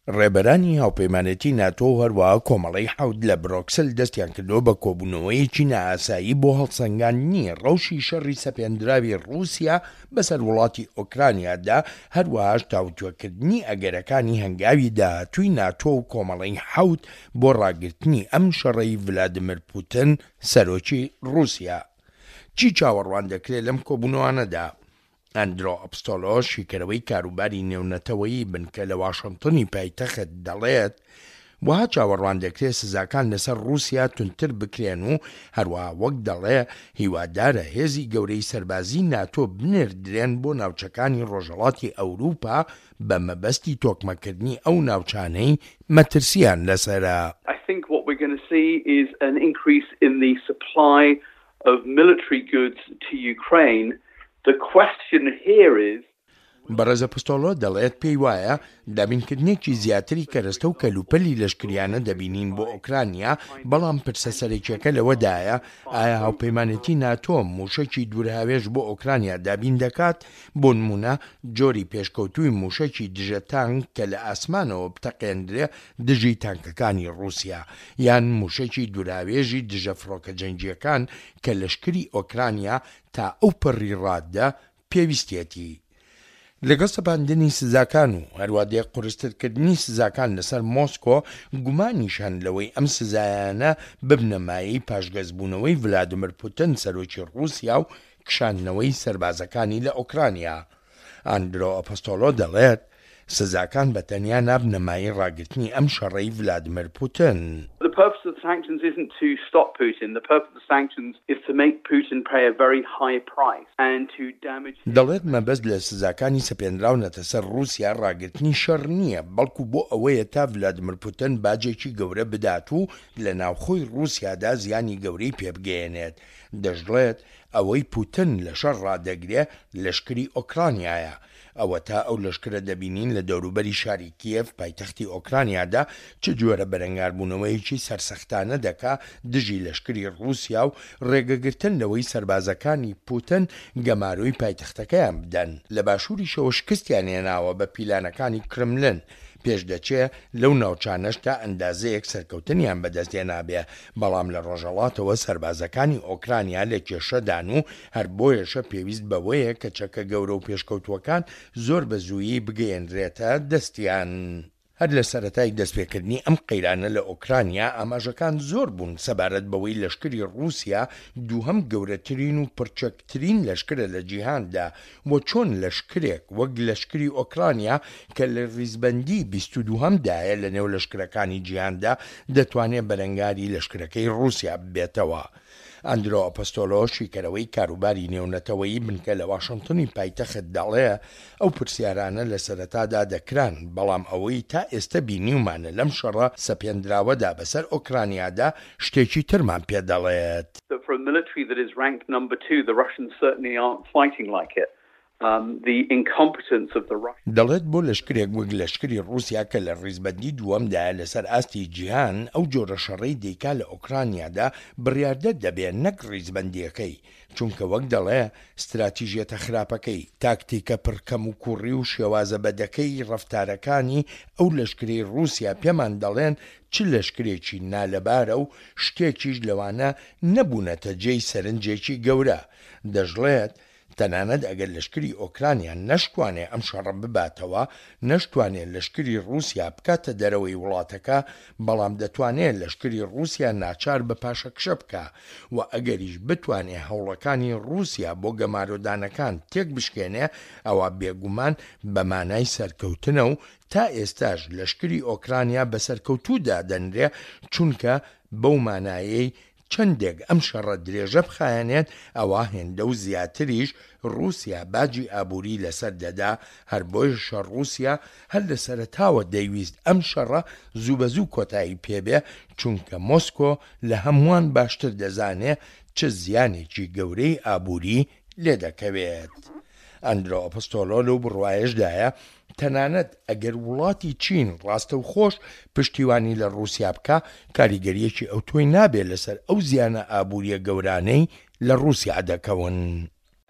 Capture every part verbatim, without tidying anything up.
ڕێبەرانی هاوپەیمانێتی ناتۆ و هەروەها کۆمەڵەی حەوت لە برۆکسل دەستیان کردووە بە کۆبوونەوەیەکی نائاسایی بۆ هەڵسەنگاندنی ڕەوشی شەڕی سەپێندراوی ڕووسیا بەسەر وڵاتی ئۆکرانیادا، هەروەهاش تاوتوێکردنی ئەگەرەکانی هەنگاوی داهاتووی ناتۆ و کۆمەڵەی حەوت بۆ ڕاگرتنی ئەم شەڕەی ڤلادیمیر پوتن سەرۆکی ڕووسیا. چی چاوەڕوان دەکرێت لەم کۆبوونەوانەدا؟ ئەندرۆ ئەپستۆلۆ، شیکەرەوەی کاروباری نێونەتەوەیی بنکە لە واشنتنی پایتەخت دەڵێت، وەها چاوەڕوان دەکرێت سزاکان لەسەر ڕووسیا توندتر بکرێن و هەروەها وەک دەڵێ هیوادارە هێزی گەورەی سەربازی ناتۆ بنێردرێن بۆ ناوچەکانی ڕۆژهەڵاتی ئەوروپا بە مەبەستی تۆکمەکردنی ئەو ناوچانەی مەترسیان لەسەرە. I think what we're going to see is an increase in the supply of military goods to Ukraine. The question here is بەڕێز ئەپستۆلۆ دەڵێت پێی وایە دابینکردنێکی زیاتری کەرەستە و کەلوپەلی لەشکریانە دەبینین بۆ ئۆکرانیا، بەڵام پرسە سەرەکیەکە لەوەدایە ئایا هاوپەیمانێتی ناتۆ موشەکی دوورهاوێژ بۆ ئۆکرانیا دابین دەکات، بۆ نمونە جۆری پێشکەوتووی موشەکی دژە تانک کە لە ئاسمانەوە بتەقێندرێ دژی تانکەکانی ڕووسیا، یان موشەکی دوورهاوێژی دژە فڕۆکە جەنگیەکان کە لەشکری ئۆکرانیا تا ئەو پەڕی ڕادە پێویستێتی. لەگەڵ سەپاندنی سزاکان و هەروادێ قورسترکردنی سزاکان لەسەر مۆسکۆ، گومانیش هەن لەوەی ئەم سزایانە ببنە مایەی پاشگەزبوونەوەی ڤلادیمیر پوتن سەرۆکی ڕووسیا و کشاندنەوەی سەربازەکانی لە ئۆکرانیا. ئەندرۆ ئەپستۆلۆ دەڵێت سزاکان بە تەنیا نابنە مایەی ڕاگرتنی ئەم شەڕەی ڤلادیمیر پوتن. The purpose of the sanctions isn't to stop Putin. The purpose of the sanctions is to make Putin pay a very high price and to damage دەڵێت مەبەست لە سزاکانی سەپێنراونەتە سەر ڕووسیا ڕاگرتنی شەڕ نییە، بەڵکو بۆ ئەوەیە تا ڤلادیمیر پوتن باجێکی گەورە بدات و لە ناوخۆی ڕووسیادا زیانی گەورەی پێبگەیەنێت. دەشڵێت ئەوەی پوتن لە شەڕ ڕادەگرێ لەشکری ئۆکرانیایە. ئەوە تا ئەو لەشکرە دەبینین لە دەوروبەری شاری کیێڤ پایتەختی ئۆکرانیادا چ جۆرە بەرەنگاربوونەوەیەکی سەرسەختانە دەکا دژی لەشکری ڕووسیا و ڕێگەگرتن لەوەی سەربازەکانی پوتن گەمارۆی پایتەختەکەیان بدەن. لە باشووریشەوە شکستیان هێناوە بە پیلانەکانی کرملن، پێش دەچێ لەو ناوچانەش تا ئەندازەیەک سەرکەوتنیان بەدەستهێنابێ، بەڵام لە ڕۆژهەڵاتەوە سەربازەکانی ئۆکرانیا لە کێشەدان و هەر بۆیەشە پێویست بەوەیە کە چەکە گەورە و پێشکەوتووەکان زۆر بە زوویی بگەیەنرێتە دەستیان. هەر لە سەرەتای دەستپێکردنی ئەم قەیرانە لە ئۆکرانیا ئاماژەکان زۆر بوون سەبارەت بەوەی لەشکری ڕووسیا دووهەم گەورەترین و پڕچەکترین لەشکرە لە جیهاندا و چۆن لەشکرێک وەک لەشکری ئۆکرانیا کە لە ڕیزبەندی بیست و دووهەمدایە لە نێو لەشکرەکانی جیهاندا دەتوانێت بەرەنگاری لەشکرەکەی ڕووسیا ببێتەوە. ئەندرۆ ئەپستۆلۆ، شیکەرەوەی کاروباری نێونەتەوەیی بنکە لە واشنتنی پایتەخت دەڵێ ئەو پرسیارانە لە سەرەتادا دەکران، بەڵام ئەوەی تا ئێستا بینیومانە لەم شەڕە سەپێندراوەدا بەسەر ئۆکرانیادا شتێکی ترمان پێدەڵێت. For a military that is ranked number two, the Russians certainly aren't fighting like it. Um, the incompetence of the Russians. دەڵێت بۆ لەشکرێک وەک لەشکری ڕووسیا کە لە ڕیزبەندی دووەمدایە لەسەر ئاستی جیهان، ئەو جۆرە شەڕەی دەیکا لە ئۆکرانیادا بڕیاردەر دەبێ نەک ڕیزبەندیەکەی، چونکە وەک دەڵێ ستراتیژیەتە خراپەکەی، تاکتیکە پڕکەم و کوڕی و شێوازە بەدەکەی ڕەفتارەکانی ئەو لەشکرەی ڕووسیا پێمان دەڵێن چ لەشکرێکی نالەبارە و شتێکیش لەوانە نەبوونەتە جێی سەرنجێکی گەورە. دەشڵێت تەنانەت ئەگەر لەشکری ئۆکرانیا نەشتوانێ ئەم شەڕە بباتەوە، نەشتوانێ لەشکری ڕووسیا بکاتە دەرەوەی وڵاتەکە، بەڵام دەتوانێت لەشکری ڕووسیا ناچار بە پاشەکشە بکە و ئەگەریش بتوانێ هەوڵەکانی ڕووسیا بۆ گەمارۆدانەکان تێک بشکێنێ، ئەوە بێگومان بە مانای سەرکەوتنە و تا ئێستاش لەشکری ئۆکرانیا بە سەرکەوتوو دادەنرێ، چونکە بەو مانایەی چەندێک ئەم شەڕە درێژە بخایەنێت ئەوە هێندە و زیاتریش ڕووسیا باجی ئابووری لەسەر دەدا. هەر بۆیەشە ڕووسیا هەر لە سەرەتاوە دەیویست ئەم شەڕە زوو بە زوو کۆتایی پێبێ، چونکە مۆسکۆ لە هەمووان باشتر دەزانێ چ زیانێکی گەورەی ئابووری لێدەکەوێت. ئەندرۆ ئەپستۆلۆ لەو بڕوایەشدایە تەنانەت ئەگەر وڵاتی چین ڕاستەوخۆش پشتیوانی لە ڕووسیا بکا، کاریگەریەکی ئەوتۆی نابێت لەسەر ئەو زیانە ئابووریە گەورانەی لە ڕووسیا دەکەون.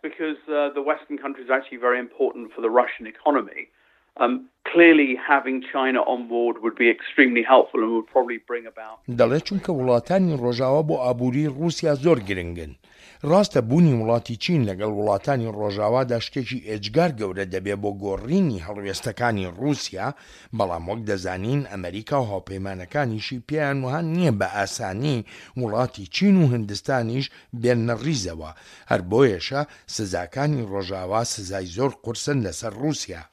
Because uh, the Western countries are actually very important for the Russian economy. Um, clearly having China on board would be extremely helpful and would probably bring about. دەڵێت چونکە وڵاتانی ڕۆژاوا بۆ ئابووری ڕووسیا زۆر گرنگن. ڕاستە بوونی وڵاتی چین لەگەڵ وڵاتانی ڕۆژاوادا شتێکی ئێجگار گەورە دەبێ بۆ گۆڕینی هەڵوێستەکانی ڕووسیا، بەڵام وەک دەزانین ئەمریکا و هاوپەیمانەکانیشی پێیان وەها نییە بە ئاسانی وڵاتی چین و هندستانیش بێننە ڕیزەوە، هەر بۆیەشە سزاکانی ڕۆژاوا سزای زۆر قورسن لەسەر ڕووسیا.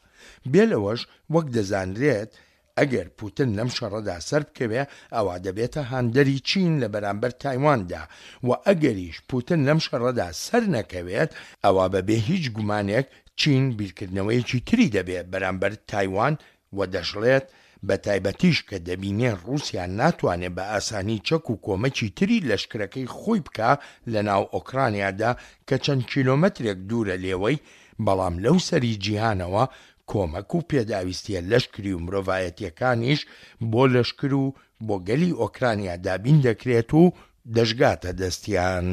بێ لەوەش وەک دەزانرێت ئەگەر پوتن لەم شەڕەدا سەربکەوێ ئەوا دەبێتە هاندەری چین لە بەرامبەر تایواندا و ئەگەریش پوتن لەم شەڕەدا سەر نەکەوێت ئەوا بەبێ هیچ گومانێک چین بیرکردنەوەیەکی تری دەبێت بەرامبەر تایوان و دەشڵێت بە تایبەتیش کە دەبینێ ڕووسیا ناتوانێت بە ئاسانی چەک و کۆمەکی تری لەشکرەکەی خۆی بکا لە ناو ئۆکرانیادا کە چەند کیلۆمەترێک دوورە لێوەی، بەڵام لەو سەری جیهانەوە کۆمەک و پێداویستیە لەشکری و مرۆڤایەتیەکانیش بۆ لەشکر و بۆ گەلی ئۆکرانیا دابین دەکرێت و دەشگاتە دەستیان.